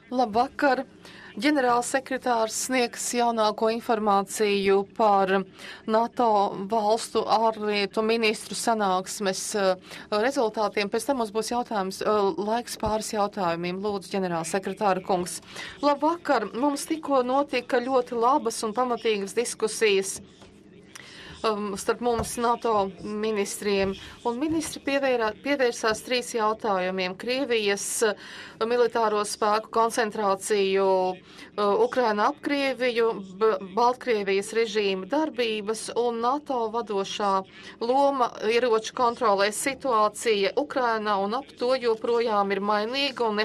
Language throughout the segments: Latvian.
Labvakar! Ģenerālsekretārs sniegs jaunāko informāciju par NATO valstu ārlietu ministru sanāksmes rezultātiem. Pēc tam mums būs jautājums, laiks pāris jautājumiem. Lūdzu, ģenerālsekretāra kungs. Labvakar! Mums tikko notika ļoti labas un pamatīgas diskusijas starp mums NATO ministriem, un ministri pievērsās 3 jautājumiem: Krievijas militāro spēku koncentrāciju Ukraina ap Krieviju, Baltkrievijas režīma darbības un NATO vadošā loma ieroču kontrolē. Situācija Ukrainā un ap to joprojām ir mainīga un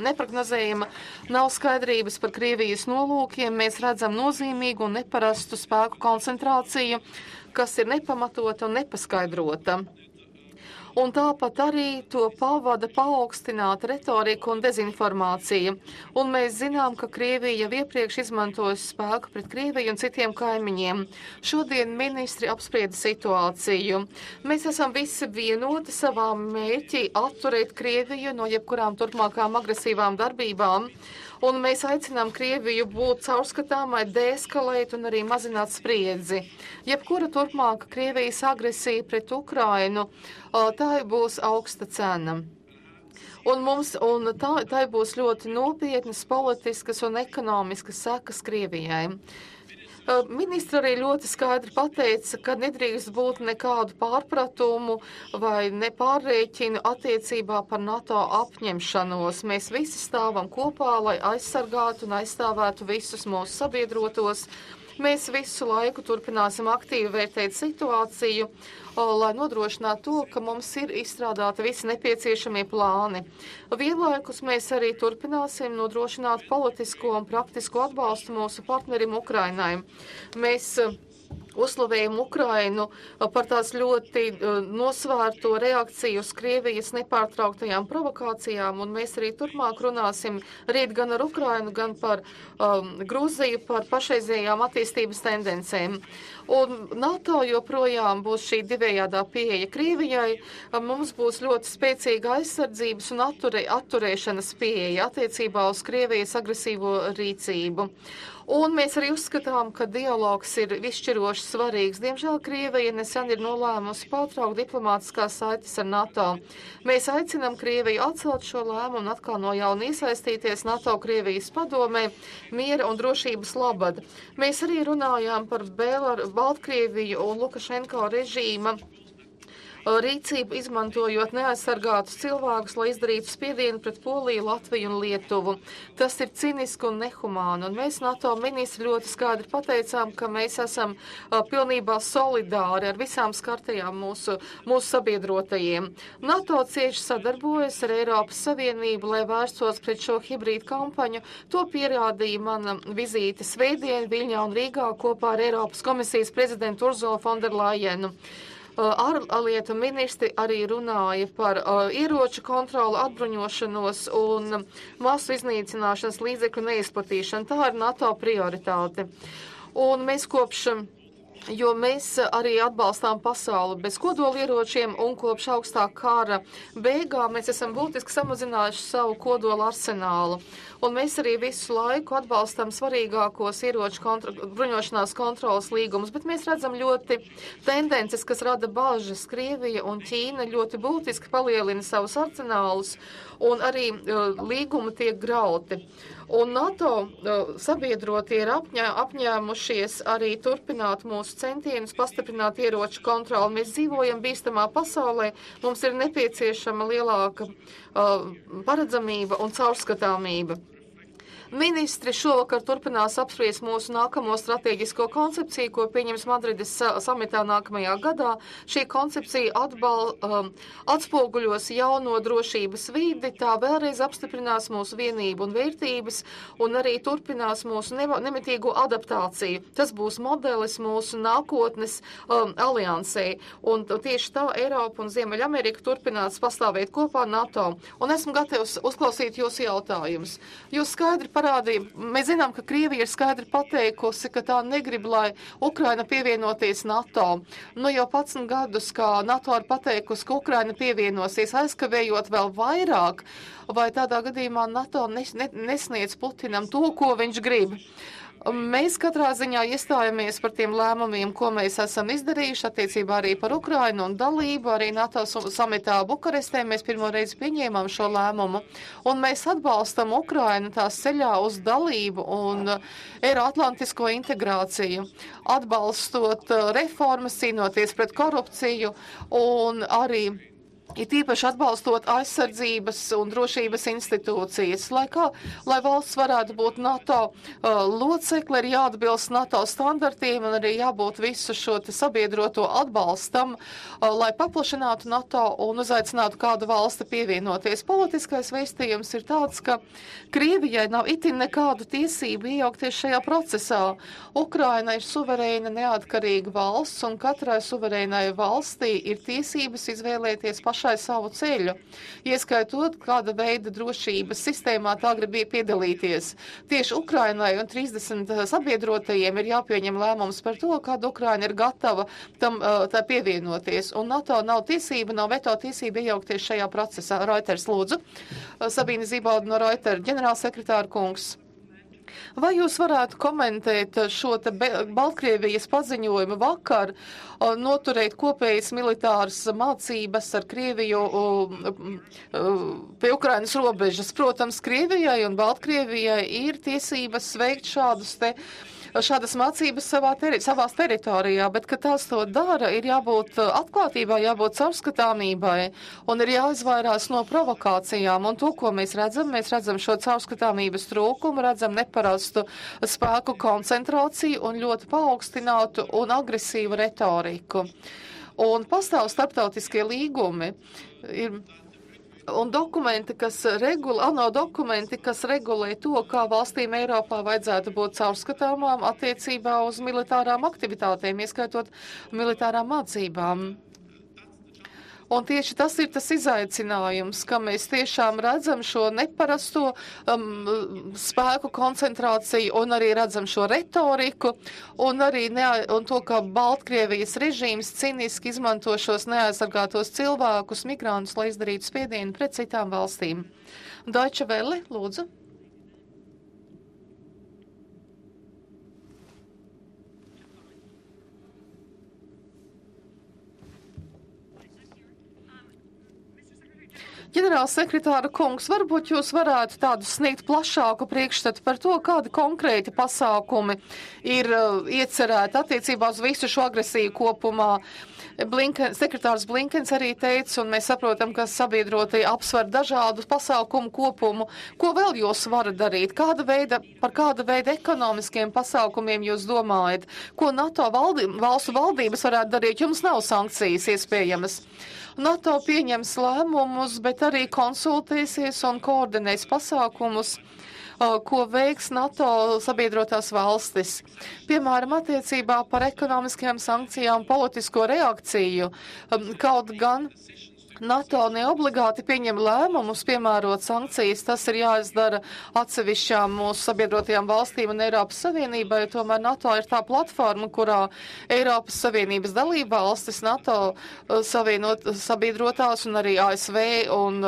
neprognozējama. Nav skaidrības par Krievijas nolūkiem. Mēs redzam nozīmīgu un neparastu spēku koncentrāciju, kas ir nepamatota un nepaskaidrota. Un tāpat arī to pavada paaugstināta retorika un dezinformācija. Un mēs zinām, ka Krievija jau iepriekš izmantojusi spēku pret Krieviju un citiem kaimiņiem. Šodien ministri apsprieda situāciju. Mēs esam visi vienoti savā mērķī atturēt Krieviju no jebkurām turpmākām agresīvām darbībām. Un mēs aicinām Krieviju būt caurskatāmai, deeskalēt un arī mazināt spriedzi. Jebkura turpmāka Krievijas agresija pret Ukrainu, tā būs augsta cena. Un tā būs ļoti nopietnas politiskas un ekonomiskas sekas Krievijai. Ministra arī ļoti skaidri pateica, ka nedrīkst būt nekādu pārpratumu vai nepārrēķinu attiecībā par NATO apņemšanos. Mēs visi stāvam kopā, lai aizsargātu un aizstāvētu visus mūsu sabiedrotos. Mēs visu laiku turpināsim aktīvi vērtēt situāciju, lai nodrošinātu to, ka mums ir izstrādāti visi nepieciešamie plāni. Vienlaikus mēs arī turpināsim nodrošināt politisko un praktisko atbalstu mūsu partnerim Ukrainai. Mēs uzslavējam Ukrainu par tās ļoti nosvērto reakciju uz Krievijas nepārtrauktajām provokācijām, un mēs arī turpmāk runāsim rīt gan ar Ukrainu, gan par Gruziju, par pašreizējām attīstības tendencēm. Un NATO joprojām būs šī divējādā pieeja Krievijai. Mums būs ļoti spēcīga aizsardzības un atturēšanas pieeja attiecībā uz Krievijas agresīvo rīcību. Un mēs arī uzskatām, ka dialogs ir izšķiroši svarīgs. Diemžēl Krievija nesen ir nolēmusi pārtraukt diplomātiskās saites ar NATO. Mēs aicinām Krieviju atcelt šo lēmumu un atkal no jauna iesaistīties NATO Krievijas padomē miera un drošības labad. Mēs arī runājām par Baltkrieviju un Lukašenko režīma rīcību, izmantojot neaizsargātus cilvēkus, lai izdarītu spiedienu pret Poliju, Latviju un Lietuvu. Tas ir ciniski un nehumāni, un mēs NATO ministri ļoti skaidri pateicām, ka mēs esam pilnībā solidāri ar visām skartajām mūsu sabiedrotajiem. NATO cieši sadarbojas ar Eiropas Savienību, lai vērstos pret šo hibrīdu kampaņu. To pierādīja mana vizīte svētdien Viļņā un Rīgā kopā ar Eiropas komisijas prezidentu Urzulu Fonderlajenu. Ārlietu ministri arī runāja par ieroču kontroli, atbruņošanos un masu iznīcināšanas līdzekļu neizplatīšanu. Tā ir NATO prioritāte. Un mēs jo mēs arī atbalstām pasauli bez kodolieročiem, un kopš augstā kara beigām mēs esam būtiski samazinājuši savu kodola arsenālu. Un mēs arī visu laiku atbalstam svarīgākos ieroču bruņošanās kontrolas līgumus, bet mēs redzam ļoti tendences, kas rada bažas. Krievija un Ķīna ļoti būtiski palielina savus arsenālus, un arī līgumi tiek grauti. Un NATO sabiedrotie ir apņēmušies arī turpināt mūsu centienus pastiprināt ieroču kontroli. Mēs dzīvojam bīstamā pasaulē, mums ir nepieciešama lielāka paredzamība un caurskatāmība. Ministri šovakar turpinās apspriest mūsu nākamo strateģisko koncepciju, ko pieņems Madrides samitā nākamajā gadā. Šī koncepcija atspoguļos jauno drošības vidi, tā vēlreiz apstiprinās mūsu vienību un vērtības un arī turpinās mūsu nemitīgo adaptāciju. Tas būs modelis mūsu nākotnes aliansē. Un tieši tā Eiropa un Ziemeļamerika turpinās pastāvēt kopā NATO. Un esmu gatavs uzklausīt jūsu jautājumus. Jūs skaidri parādīja, mēs zinām, ka Krievija ir skaidri pateikusi, ka tā negrib, lai Ukraina pievienoties NATO. Nu jau 11 gadus, kā NATO ir pateikusi, ka Ukraina pievienosies, aizkavējot vēl vairāk, vai tādā gadījumā NATO nesniedz Putinam to, ko viņš grib. Mēs katrā ziņā iestājamies par tiem lēmumiem, ko mēs esam izdarījuši attiecībā arī par Ukrainu un dalību. Arī NATO samitā Bukarestē mēs pirmo reizi pieņēmām šo lēmumu. Un mēs atbalstam Ukrainu tās ceļā uz dalību un eiroatlantisko integrāciju, atbalstot reformas, cīnoties pret korupciju un arī it īpaši atbalstot aizsardzības un drošības institūcijas. Lai valsts varētu būt NATO locekle, ir jāatbilst NATO standartiem un arī jābūt visu šo sabiedroto atbalstam, lai paplašinātu NATO un uzaicinātu kādu valsti pievienoties. Politiskais vēstījums ir tāds, ka Krievijai nav itin nekādu tiesību iejaukties šajā procesā. Ukraina ir suverēna neatkarīga valsts un katrai suverēnai valstī ir tiesības izvēlēties pašai savu ceļu, ieskaitot, kāda veida drošības sistēmā tā grib piedalīties. Tieši Ukrainai un 30 sabiedrotajiem ir jāpieņem lēmums par to, kāda Ukraina ir gatava tam tā pievienoties. Un NATO nav tiesība, nav veto tiesība iejaukties šajā procesā. Reuters, lūdzu. Sabīne Zibauda no Reuters, ģenerālsekretāra kungs. Vai jūs varētu komentēt šo te Baltkrievijas paziņojumu vakar, noturēt kopējas militāras mācības ar Krieviju pie Ukrainas robežas? Protams, Krievijai un Baltkrievijai ir tiesības veikt šādas mācības savās teritorijā, bet, kad tās to dara, ir jābūt atklātībai, jābūt caurskatāmībai un ir jāizvairās no provokācijām. Un to, ko mēs redzam šo caurskatāmības trūkumu, redzam neparastu spēku koncentrāciju un ļoti paaugstinātu un agresīvu retoriku. Un pastāv starptautiskie līgumi. Un dokumenti, ANO dokumenti, kas regulē to, kā valstīm Eiropā vajadzētu būt caurskatāmām attiecībā uz militārām aktivitātēm, ieskaitot militārām mācībām. Un tieši tas ir tas izaicinājums, ka mēs tiešām redzam šo neparasto spēku koncentrāciju un arī redzam šo retoriku un arī un to, ka Baltkrievijas režīms ciniski izmanto šos neaizsargātos cilvēkus, migrantus, lai izdarītu spiedienu pret citām valstīm. Deutsche Welle, lūdzu. Ģenerālsekretāra kungs, varbūt jūs varētu tādu sniegt plašāku priekšstatu par to, kādi konkrēti pasākumi ir iecerēti attiecībā uz visu šo agresiju kopumā. Sekretārs Blinkens arī teica, un mēs saprotam, ka sabiedrotie apsver dažādu pasākumu kopumu. Ko vēl jūs varat darīt? Par kāda veida ekonomiskiem pasākumiem jūs domājat? Ko NATO valstu valdības varētu darīt? Jums nav sankcijas iespējamas. NATO pieņems lēmumus, bet arī konsultēsies un koordinēs pasākumus, ko veiks NATO sabiedrotās valstis. Piemēram, attiecībā par ekonomiskajām sankcijām, politisko reakciju, kaut gan NATO neobligāti pieņem lēmumus piemērot sankcijas, tas ir jāizdara atsevišķām mūsu sabiedrotajām valstīm un Eiropas Savienībai, tomēr NATO ir tā platforma, kurā Eiropas Savienības dalība valstis, NATO sabiedrotās un arī ASV un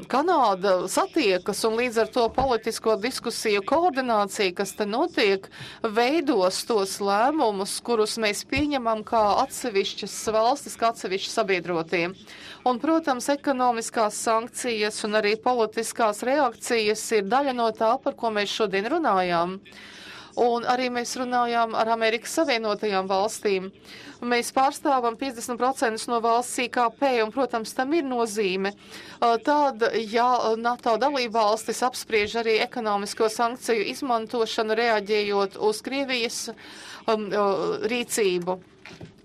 Kanāda satiekas, un līdz ar to politisko diskusiju koordinācija, kas te notiek, veidos tos lēmumus, kurus mēs pieņemam kā atsevišķas valstis, kā atsevišķi sabiedrotie. Un, protams, ekonomiskās sankcijas un arī politiskās reakcijas ir daļa no tā, par ko mēs šodien runājām. Un arī mēs runājām ar Amerikas Savienotajām valstīm. Mēs pārstāvam 50% no valsts IKP, un, protams, tam ir nozīme. Tad, ja NATO dalībvalstis apspriež arī ekonomisko sankciju izmantošanu, reaģējot uz Krievijas rīcību.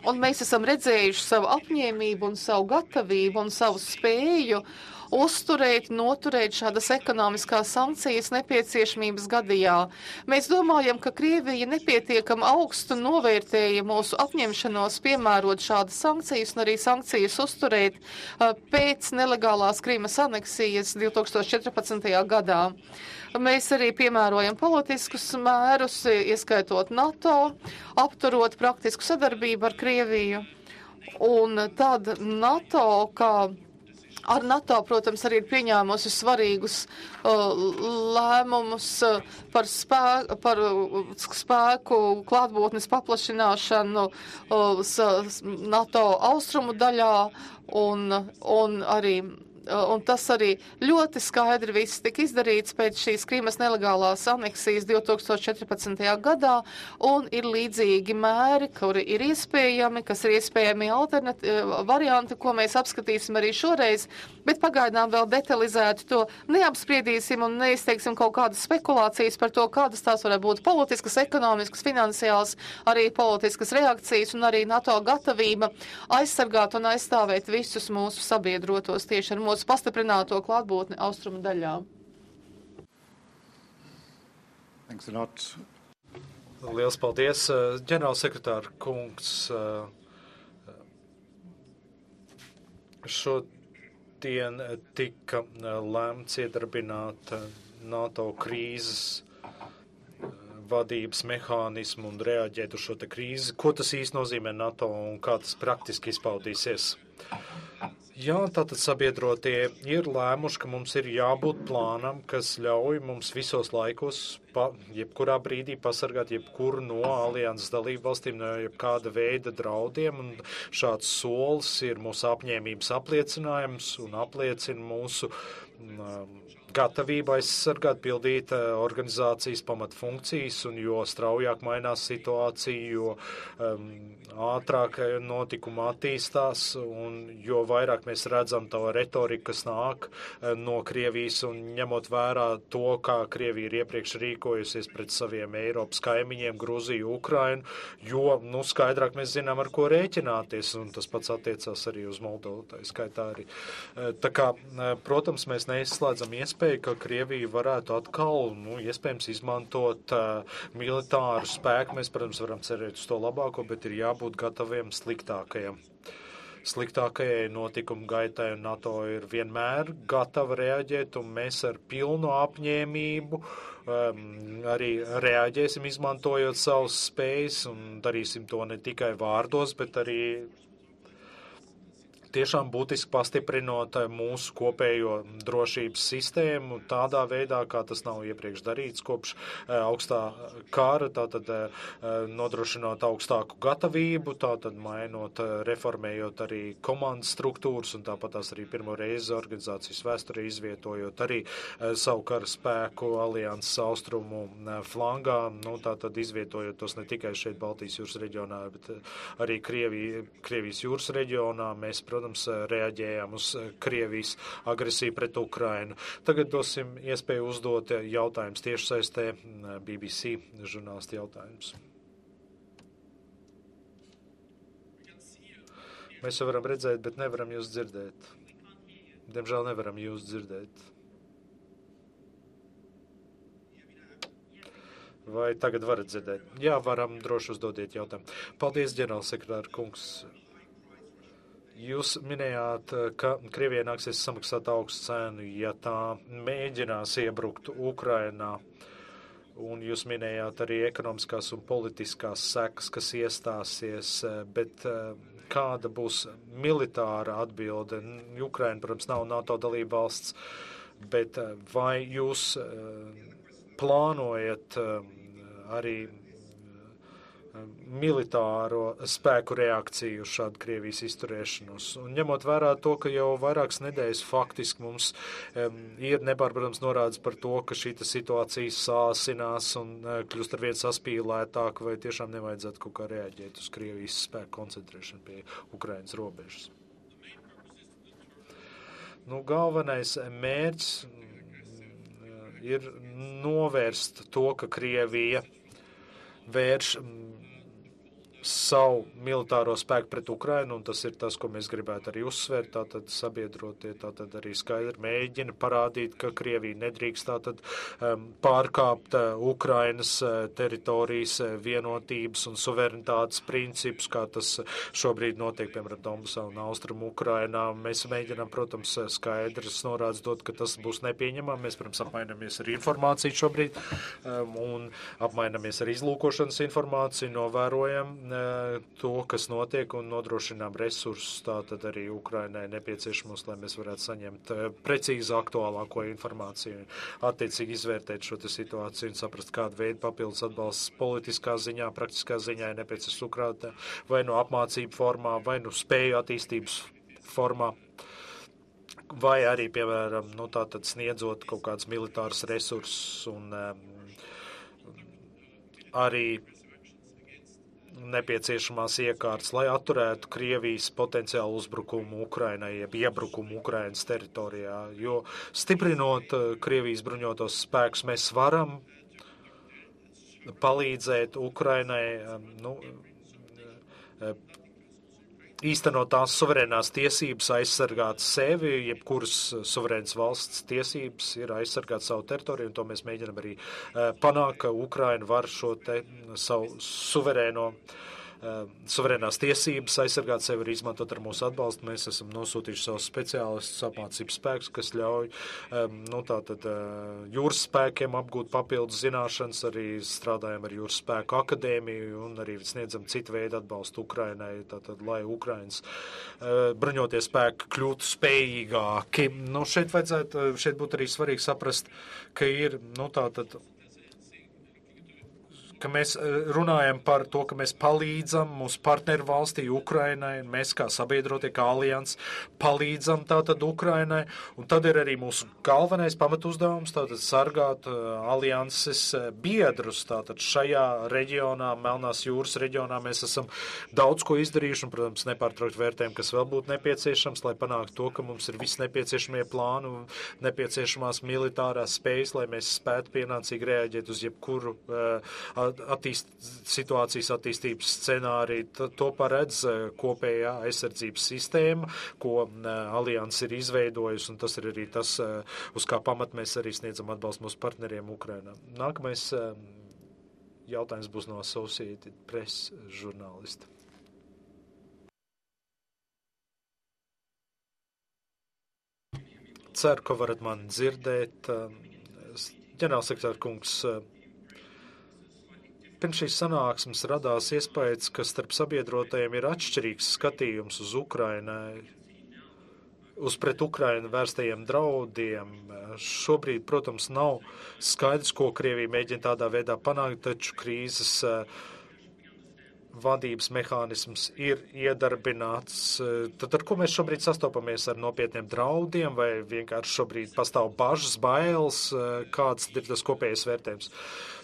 Un mēs esam redzējuši savu apņēmību un savu gatavību un savu spēju uzturēt, noturēt šādas ekonomiskās sankcijas nepieciešamības gadījā. Mēs domājam, ka Krievija nepietiekam augstu novērtēja mūsu apņemšanos piemērot šādas sankcijas un arī sankcijas uzturēt pēc nelegālās Krīmas aneksijas 2014. gadā. Mēs arī piemērojam politiskus mērus, ieskaitot NATO, apturot praktisku sadarbību ar Krieviju. Un tad NATO, ar NATO, protams, arī ir pieņēmusi svarīgus lēmumus par spēku klātbūtnes paplašināšanu NATO austrumu daļā un arī. Un tas arī ļoti skaidri viss tika izdarīts pēc šīs Krīmas nelegālās aneksijas 2014. gadā, un ir līdzīgi mēri, kuri ir iespējami, kas ir iespējami varianti, ko mēs apskatīsim arī šoreiz, bet pagaidām vēl detalizēti to neapspriedīsim un neizteiksim kaut kādas spekulācijas par to, kādas tās varētu būt politiskas, ekonomiskas, finansiāls, arī politiskas reakcijas un arī NATO gatavība aizsargāt un aizstāvēt visus mūsu sabiedrotos tieši ar mūsu pastiprināto klātbūtni austrumu daļā. Thanks a lot. Liels paldies, ģenerālsekretāra kungs. Šodien tika lēmts iedarbināt NATO krīzes vadības mehānismu un reaģēt uz šo te krīzi. Ko tas īsti nozīmē NATO un kā tas praktiski izpaudīsies? Jā, tātad sabiedrotie ir lēmuši, ka mums ir jābūt plānam, kas ļauj mums visos laikos, jebkurā brīdī pasargāt jebkuru no alianses dalību valstīm, no jebkāda veida draudiem, un šāds solis ir mūsu apņēmības apliecinājums un apliecina mūsu gatavību aizsargāt, pildīt organizācijas pamatfunkcijas, un jo straujāk mainās situācija, jo ātrāk notikuma attīstās, un jo vairāk mēs redzam to retoriku, kas nāk no Krievijas, un ņemot vērā to, kā Krievija ir iepriekš rīkojusies pret saviem Eiropas kaimiņiem, Gruziju, Ukrainu, jo, skaidrāk mēs zinām, ar ko rēķināties, un tas pats attiecās arī uz Moldovu, tā skaitā arī. Tā kā, protams, mēs neizslēdzam iespēju, ka Krievija varētu atkal, iespējams, izmantot militāru spēku. Mēs, protams, varam cerēt uz to labāko, bet ir jābūt gataviem sliktākajai notikumu gaitai, un NATO ir vienmēr gatava reaģēt, un mēs ar pilnu apņēmību arī reaģēsim, izmantojot savus spējas, un darīsim to ne tikai vārdos, bet arī tiešām būtiski pastiprinot mūsu kopējo drošības sistēmu tādā veidā, kā tas nav iepriekš darīts kopš augstā kara, tātad nodrošinot augstāku gatavību, tātad mainot, reformējot arī komandas struktūras un tāpat tās arī pirmo reizi organizācijas vēsturē izvietojot arī savu kara spēku alianses austrumu flangā, tātad izvietojot tos ne tikai šeit Baltijas jūras reģionā, bet arī Krievijas jūras reģionā. Mēs, protams, reaģējām uz Krievijas agresiju pret Ukrainu. Tagad dosim iespēju uzdot jautājumus tiešsaistē, BBC žurnālisti jautājums. Mēs jau varam redzēt, bet nevaram jūs dzirdēt. Diemžēl nevaram jūs dzirdēt. Vai tagad varat dzirdēt? Jā, varam, droši uzdodiet jautājumu. Paldies, ģenerālsekretāra kungs. Jūs minējāt, ka Krievijai nāksies samaksāt augstu cenu, ja tā mēģinās iebrukt Ukrainā, un jūs minējāt arī ekonomiskās un politiskās sekas, kas iestāsies, bet kāda būs militāra atbilde? Ukraina, protams, nav NATO dalība valsts, bet vai jūs plānojat arī militāro spēku reakciju uz šādu Krievijas izturēšanos. Un ņemot vērā to, ka jau vairākas nedēļas faktiski mums ir nepārprotams norādes par to, ka šī situācija sāsinās un kļūst ar vien saspīlētāk, vai tiešām nevajadzētu kaut kā reaģēt uz Krievijas spēku koncentrēšanu pie Ukrainas robežas. Galvenais mērķis ir novērst to, ka Krievija vērš savu militāro spēku pret Ukrainu, un tas ir tas, ko mēs gribētu arī uzsvērt, tātad sabiedrotie, tātad arī skaidri mēģina parādīt, ka Krievija nedrīkst tātad pārkāpt Ukrainas teritorijas vienotības un suverenitātes principus, kā tas šobrīd notiek, piemēram, Donbasā un Austrumu Ukrainā. Mēs mēģinām, protams, skaidrs norādes dot, ka tas būs nepieņemami. Mēs, protams, apmainamies ar informāciju šobrīd un apmainamies ar izlūkošanas informāciju, novērojam to, kas notiek un nodrošinām resursus, tātad arī Ukrainai nepieciešamos, lai mēs varētu saņemt precīzi aktuālāko informāciju, attiecīgi izvērtēt šo situāciju un saprast, kādu veidu papildus atbalsts politiskā ziņā, praktiskā ziņā ir nepieciešams Ukrainā, vai no apmācību formā, vai no spēju attīstības formā, vai arī, piemēram, tātad sniedzot kaut kādus militārus resursus un arī nepieciešamās iekārtas, lai atturētu Krievijas potenciālu uzbrukumu Ukrainai, jeb iebrukumu Ukrainas teritorijā, jo stiprinot Krievijas bruņotos spēkus, mēs varam palīdzēt Ukrainai, īstenot tās suverēnās tiesības, aizsargāt sevi, jebkuras suverēnas valsts tiesības ir aizsargāt savu teritoriju, un to mēs mēģinam arī panākt, ka Ukraina var šo te savu suverēnās tiesības aizsargāt sevi arī izmantot ar mūsu atbalstu. Mēs esam nosūtījuši savus speciālistus, apmācības spēkus, kas ļauj jūras spēkiem apgūt papildus zināšanas, arī strādājam ar jūras spēku akadēmiju un arī sniedzam citu veidu atbalstu Ukrainai, tātad, lai Ukrainas bruņotie spēki kļūtu spējīgāki. Šeit būtu arī svarīgi saprast, ka ir, ka mēs runājam par to, ka mēs palīdzam mūsu partneru valstī Ukrainai, un mēs kā sabiedrotie, kā alians, palīdzam tātad Ukrainai, un tad ir arī mūsu galvenais pamatuzdevums, tātad sargāt alianses biedrus, tātad šajā reģionā, Melnās jūras reģionā mēs esam daudz ko izdarījuši, un, protams, nepārtraukt vērtējumu, kas vēl būtu nepieciešams, lai panāktu to, ka mums ir visi nepieciešamie plāni un nepieciešamās militārās spējas, lai mēs spētu pienācīgi reaģēt uz jebkuru situācijas attīstības scenāriju. To paredz kopējā aizsardzības sistēma, ko alianses ir izveidojusi, un tas ir arī tas, uz kā pamat mēs arī sniedzam atbalstu mūsu partneriem Ukrainā. Nākamais jautājums būs no Associated Press žurnālista. Ceru, ka varat mani dzirdēt. Ģenerālsekretāra kungs, pirms šīs sanāksmes radās iespējas, ka starp sabiedrotajiem ir atšķirīgs skatījums uz Ukrainai, uz pret Ukrainu vērstajiem draudiem. Šobrīd, protams, nav skaidrs, ko Krievija mēģina tādā veidā panākt, taču krīzes vadības mehānisms ir iedarbināts. Tad ar ko mēs šobrīd sastopamies, ar nopietniem draudiem, vai vienkārši šobrīd pastāv bažas, bailes, kāds ir tas kopējais vērtējums?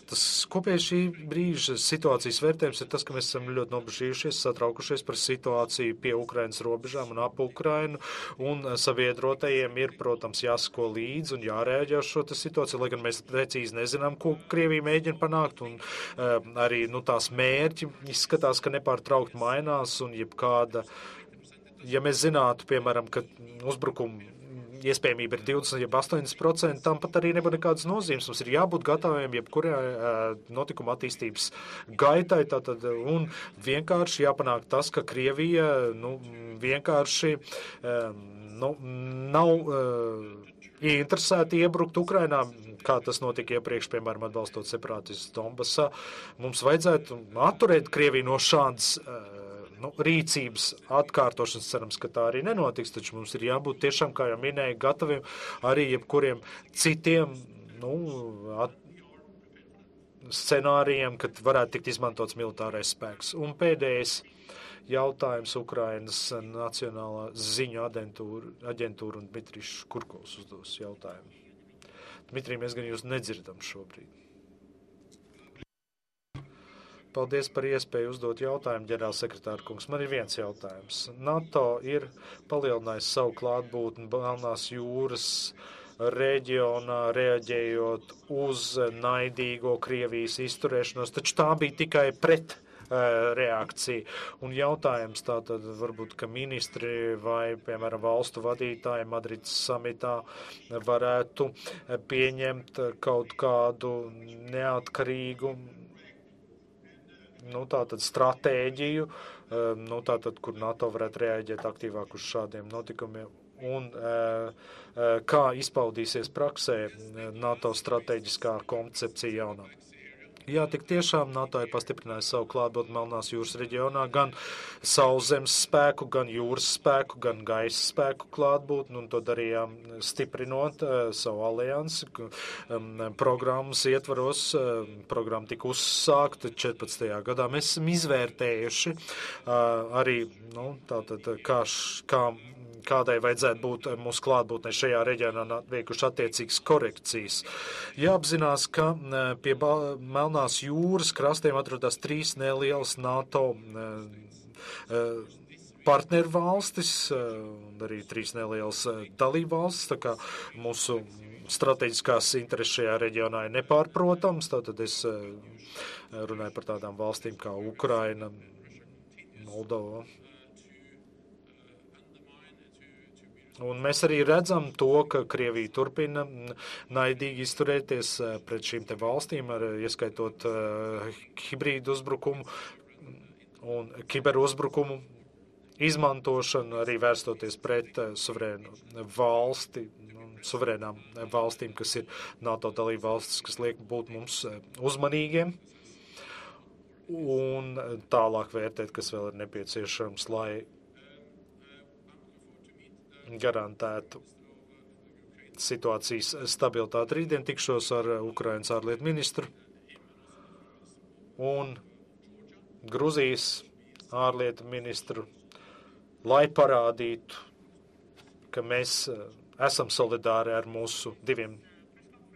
Tas kopējais šī brīža situācijas vērtējums ir tas, ka mēs esam ļoti nobežījušies, satraukušies par situāciju pie Ukrainas robežām un ap Ukrainu, un sabiedrotajiem ir, protams, jāsako līdzi un jārēģē uz šo situāciju, lai gan mēs precīzi nezinām, ko Krievija mēģina panākt, un arī tās mērķi izskatās, ka nepārtraukt mainās, un jebkāda, ja mēs zinātu, piemēram, ka uzbrukumu iespējamība ir 20, jeb 80%, tam pat arī nebūtu nekādas nozīmes. Mums ir jābūt gataviem jebkurai notikuma attīstības gaitai, tātad, un vienkārši jāpanāk tas, ka Krievija, vienkārši, nav ieinteresēti iebrukt Ukrainā, kā tas notika iepriekš, piemēram, atbalstot separātistus Donbasā. Mums vajadzētu atturēt Krieviju no šādas rīcības atkārtošanas. Cerams, ka tā arī nenotiks, taču mums ir jābūt tiešām, kā jau minēju, gataviem arī jebkuriem citiem scenārijiem, kad varētu tikt izmantots militārais spēks. Un pēdējais jautājums Ukrainas Nacionālā ziņu aģentūra un Dmitrijs Kurkovs uzdos jautājumu. Dmitrij, mēs gan jūs nedzirdam šobrīd. Paldies par iespēju uzdot jautājumu, ģenerālsekretāra kungs. Man ir viens jautājums. NATO ir palielinājis savu klātbūtni Melnās jūras reģionā, reaģējot uz naidīgo Krievijas izturēšanos, taču tā bija tikai pret reakcija. Un jautājums tātad varbūt, ka ministri vai, piemēram, valstu vadītāji Madrides samitā varētu pieņemt kaut kādu neatkarīgu, tātad stratēģiju, tātad, kur NATO varētu reaģēt aktīvāk uz šādiem notikumiem. Un kā izpaudīsies praksē NATO strateģiskā koncepcija jaunā. Jā, tik tiešām NATO ir pastiprinājusi savu klātbūtni Melnās jūras reģionā, gan sauszemes spēku, gan jūras spēku, gan gaisa spēku klātbūtni, un to darījām stiprinot savu aliansi. Programmas ietvaros, programma tika uzsākta 14. gadā. Mēs esam izvērtējuši arī, tātad, kādai vajadzētu būt mūsu klātbūtnē šajā reģionā, veikuši attiecīgas korekcijas. Jāapzinās, ka pie Melnās jūras krastiem atrodas 3 nelielas NATO partnervalstis, arī 3 nelielas dalībvalstis, tā kā mūsu strateģiskās intereses šajā reģionā ir nepārprotams, tātad es runāju par tādām valstīm kā Ukraina, Moldova. Un mēs arī redzam to, ka Krievija turpina naidīgi izturēties pret šīm te valstīm, ieskaitot hibrīdu uzbrukumu un kiberuzbrukumu izmantošanu, arī vērstoties pret suverēnām valstīm, kas ir NATO dalība valstis, kas liek būt mums uzmanīgiem un tālāk vērtēt, kas vēl ir nepieciešams, lai garantētu situācijas stabilitāti. Rītdien tikšos ar Ukrainas ārlietu ministru un Gruzijas ārlietu ministru, lai parādītu, ka mēs esam solidāri ar mūsu 2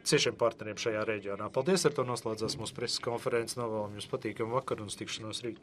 ciešiem partneriem šajā reģionā. Paldies, ar to noslēdzās mūsu preses konferences. Novēlam jums patīkamu vakaru un tikšanos rīt.